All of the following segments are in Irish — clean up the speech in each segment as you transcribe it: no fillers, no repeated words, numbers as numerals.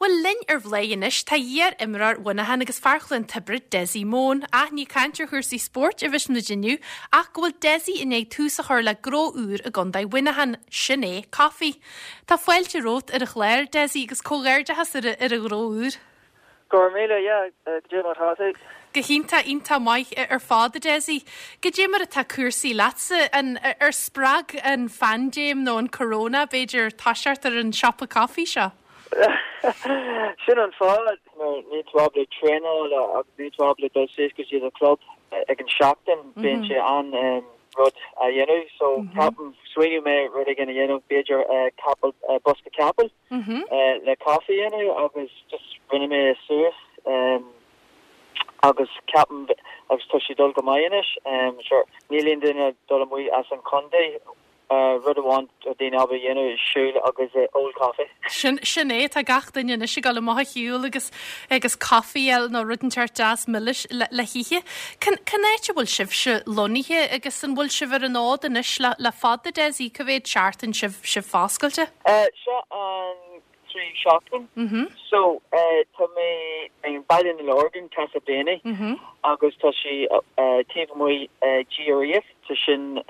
Bhuel, linn ar Bhladhaire anois tá iar-imreoir Mhuineacháin agus fear Chluain Tiobraid, Dessie Mone. Ach ní ag caint ar chúrsaí spóirt a bheas muid inniu ach go bhfuil Dessie i ndiaidh tús a chur le gnó úr i gContae Mhuineacháin, sin é Coffee. Tá fáilte romhat ar an chlár, Dessie, agus comhghairdeachas ar ar an ghnó úr. Go raibh míle, yeah, goidé mar atá tú? Go hiontach, iontach maith ar fad, a Dessie. Goidé mar atá cúrsaí leatsa? An, ar spreag an phaindéim nó an corona, b'fhéidir, toiseacht ar an siopa caife seo? Sin an fáth, mar níl tú ábalta traenáil agus níl tú ábalta dul suas go dtí do club ag an seachtain, bíonn sé an rud a dhéanamh. So ceapaim, smaoinigh mé rud éigin a dhéanamh, b'fhéidir capall, bosca capaill. le caife a dhéanamh agus just rinne mé é suas agus ceapaim agus tá sé dul go maith anois. Sure, níl aon duine dul amuigh as an chontae, rud amháin tá daoine ábalta a dhéanamh is siúl agus ól caife. Sin, sin é, tá gach duine anois ag dul amach a shiúl agus, agus caife a fháil nó rud inteacht deas milis le, le hithe. Cén, cén áit a bhfuil sibhse lonnaithe agus an bhfuil sibh ar an fhód anois le, le fada, Dessie? Cá mhéad seachtain sibh, sibh foscailte? Seo an tríú seachtain. So, tá mé i mBaile na Lorgan, Castleblayney, agus tá sé taobh amuigh GREF, so sin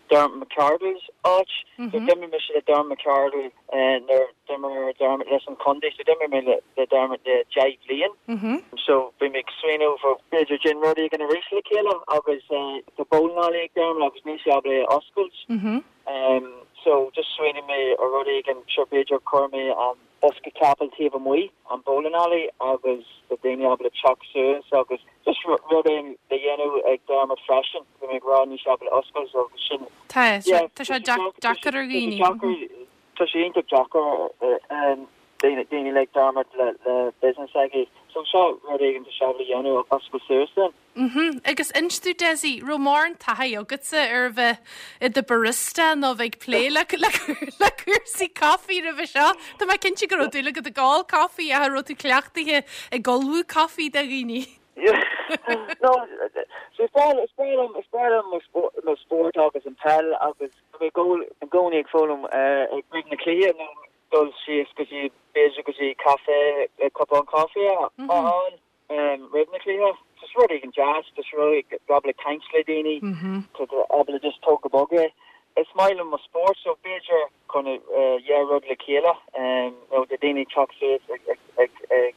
Dermot McArdle's áit. So d'imir mise le Dermot McArdle nuair d'imir Dermot leis an chontae, so d'imir mé le Dermot le 10 bhliain. So bhí mé ag smaoineamh b'fhéidir déan rud éigin arís le chéile agus tá bowling alley ag Dermot agus níl sé ábalta é a oscailt. So just smaoinigh mé ar rud éigin, sure b'fhéidir cuir mé an bosca capall taobh amuigh an bowling alley agus tá daoine ábalta teacht suas agus just rud éigin le dhéanamh ag Dermot freisin. Bhí mé ag rá níl sé ábalta oscailt so agus sin Tá, yeah, tá sé deacair ar dhaoine. Tá sé iontach deacair daoine daoine like Dermot le le business aige. So seo rud éigin tá sé ábalta dhéanamh oscailt suas then. Mhm. Agus inis domh Dessie, raibh mórán taithí agatsa ar a bheith i do barista nó a bheith ag plé le le le cúrsaí caife roimhe seo? Tá mé cinnte go raibh dúil agat ag ól caife ach an raibh tú cleachtaithe ag ullmhú caife do dhaoine? No, so is breá is breá liom is breá liom mo mo spórt agus an peil agus tá mé i gcónaí ag foghlaim ag roimh na cluiche nó dul síos go dtí b'fhéidir go dtí caife le cupán caife a fháil. roimh na cluiche. Just rud éigin deas, just rud éigin ábalta caint le daoine, tá tú ábalta just tóg go bog é. Is maith liom mo spórt so b'fhéidir chun yeah rud le chéile nó do daoine teacht suas ag ag ag ag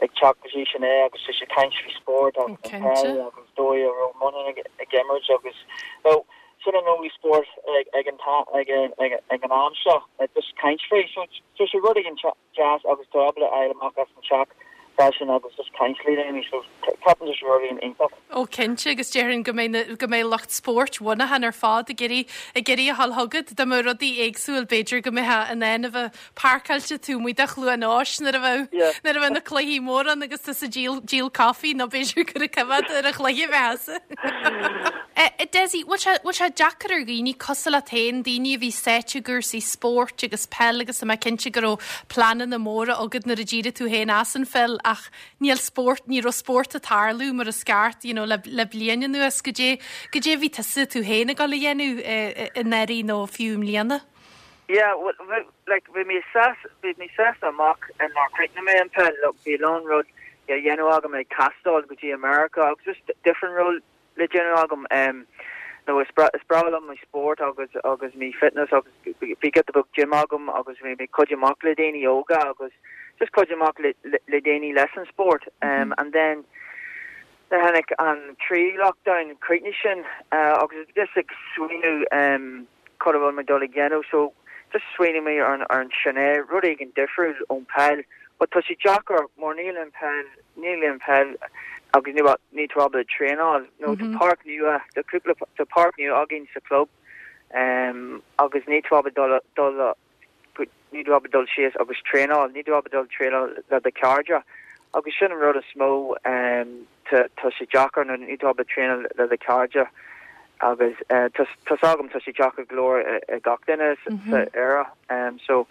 ag teacht go dtí sin é agus just ag caint faoi spórt agus an peil agus dóigh a raibh Muineachán ag imirt agus nó sin an only spórt ag ag an ag ag ag an am seo just caint faoi so just rud éigin deas agus tú ábalta a fháil amach as an teach freisin agus just caint le daoine so ceapaim just rud éigin iontach. Ó cinnte agus déarfainn go mbeidh na, go mbeidh lucht spóirt Mhuineacháin ar fad ag iarraidh, ag iarraidh a ghabháil chugat. Dá mbeadh rudaí éagsúil b'fhéidir go mbeifeá in ann a bheith páirceáilte taobh amuigh de Chluain Eois nuair a bheadh, Yeah. nuair a bheadh na cluichí móra ann agus tusa ag díol, díol caife nó b'fhéidir gur ag coimhéad ar an chluiche a bheifeása. Dessie, bhfuil sé, bhfuil sé deacair ar dhaoine cosúil leat féin, daoine a bhí sáite i gcúrsaí spóirt agus peil agus tá mé cinnte go raibh pleananna móra agat nuair a d'éirigh tú féin as an pheil ach níl spórt, ní raibh spórt ag tarlú mar is ceart, you know, le, le bliain anuas. Goidé, goidé a bhí tusa, tú féin ag dul a dhéanamh anuraidh nó fiú i mbliana? Yeah, well, bhí, like, bhí mé sásta, bhí mé sásta amach nuair chríochnaigh mé an peil, look, bhí a lán rud le dhéanamh agam ag taisteal go dtí America agus just different rud le déanamh agam. Nó is breá liom mo spórt agus agus mo fitness agus bhí giota beag gym agam agus bhí mé cuid amach le daoine óga agus just cuid amach le le daoine leis an spórt. And then nuair tháinig an tríú lockdown chríochnaigh sin agus just ag smaoineamh cad a bhfuil mé dul ag dhéanamh so just smaoinigh mé ar an sin é rud éigin difriúil ón peil but tá sé deacair mar níl an peil Níl aon peil agus níl níl tú ábalta traenáil nó tá páirc nua tá cúpla tá páirc nua againn sa club agus níl tú ábalta dul dul níl tú ábalta dul síos agus traenáil níl tú ábalta dul traenáil le do chairde agus sin an rud is mó tá tá sé deacair nó níl tú ábalta traenáil le do chairde agus tá tá's agam tá sé deacair go leor ag gach duine sa Éire so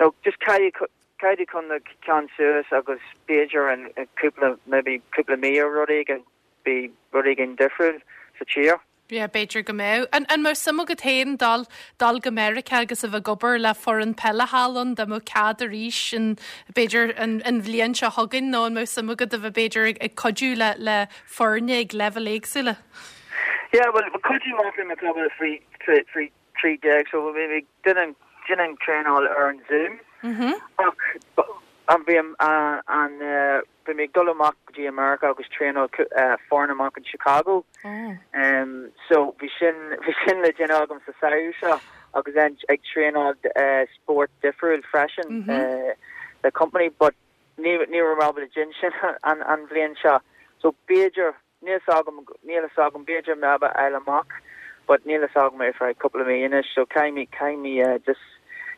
no just caithfidh Caithfidh chun na ceann suas agus b'fhéidir in cúpla maybe cúpla mí or rud éigin beidh rud éigin difriúil sa tír. Yeah, b'fhéidir go mbeadh. An, an mbeadh suim agat féin dul, dul go Meiriceá agus a bheith ag obair le foireann peile thall ann, dá mbeadh cead arís an, b'fhéidir an, an bhliain seo chugainn nó an mbeadh suim agat a bheith b'fhéidir ag, ag cuidiú le, le foirne ag leibhéil éagsúla? Yeah, well, cuidiú maith le mo club faoi, faoi 13 so bhí mé ag déanamh déanamh traenáil ar an Zoom ach an bhí an an bhí mé ag dul amach go dtí America agus traenáil foireann amach in Chicago so bhí sin bhí sin le déanamh agam sa samhradh seo agus then ag traenáil spórt difriúil freisin le company but ní ní raibh mé ábalta déanamh sin an an bhliain seo so b'fhéidir Níl fhios agam, níl fhios agam, b'fhéidir mé a fháil amach but níl fhios agam ar feadh cúpla mí anois so caithfidh mé, caithfidh mé just,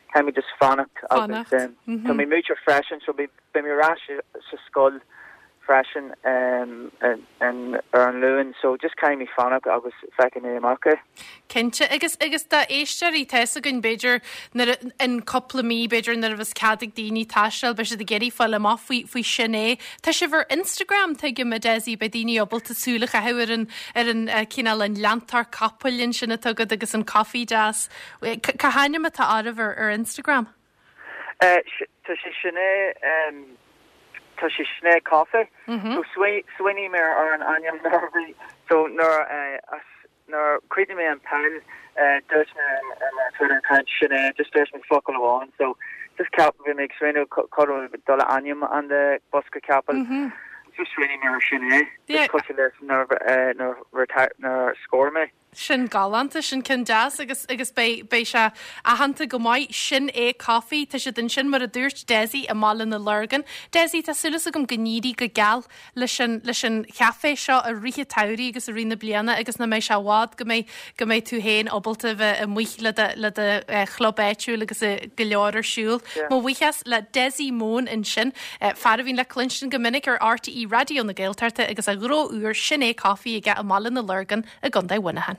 caithfidh mé just fanacht agus tá mé múinteoir freisin so beidh mé ar ais sa scoil freisin ar an Luan so just caithfidh mé fanacht agus feicfidh mé amach é. Cinnte, agus, agus dá éisteoirí, tá fhios againn, b'fhéidir, nuair a, in cúpla mí, b'fhéidir, nuair a bheas cead ag daoine taisteal, beidh siad ag iarraidh fáil amach faoi, faoi Sin É. Tá sibh ar Instagram, tuigim, a Dessie, beidh daoine ábalta súil a chaitheamh ar an, ar an, cineál an leantóir capaill ansin atá agat agus an coffee deas. Cá hainm atá oraibh ar, ar Instagram? Tá sé Sin É, tá sé Sin É Coffee. So smaoinigh mé ar an ainm nuair a bhí, so nuair a, Nuair a chríochnaigh mé an peil, dúirt mé ar mo Twitter account sin é, just dúirt mé focal amháin, so just ceap, bhí mé ag smaoineamh cad a bhfuil dul a ainm an de bosca capaill, just smaoinigh mé ar sin é, just cosúil leis nuair nuair nuair scór mé. Sin galánta, sin ceann deas agus agus beidh beidh sé aitheanta go maith, Sin é Coffee, tá siad ansin mar a dúirt Dessie i mBaile na Lorgan. Dessie, tá súil agam go n-éirí go geal leis an, leis an chaifé seo i rith an tsamhraidh agus i rith na bliana agus nach mbeidh sé i bhfad go mbeidh, go mbeidh tú féin ábalta a bheith amuigh le do, le do chlub áitiúil agus go leor ar siúl. Mo bhuíochas le Dessie Mone ansin, fear a bhíonn le cluinstin go minic ar RTÉ Raidió na Gaeltachta agus a ghnó úr Sin É Coffee aige i mBaile na Lorgan i gContae Mhuineacháin.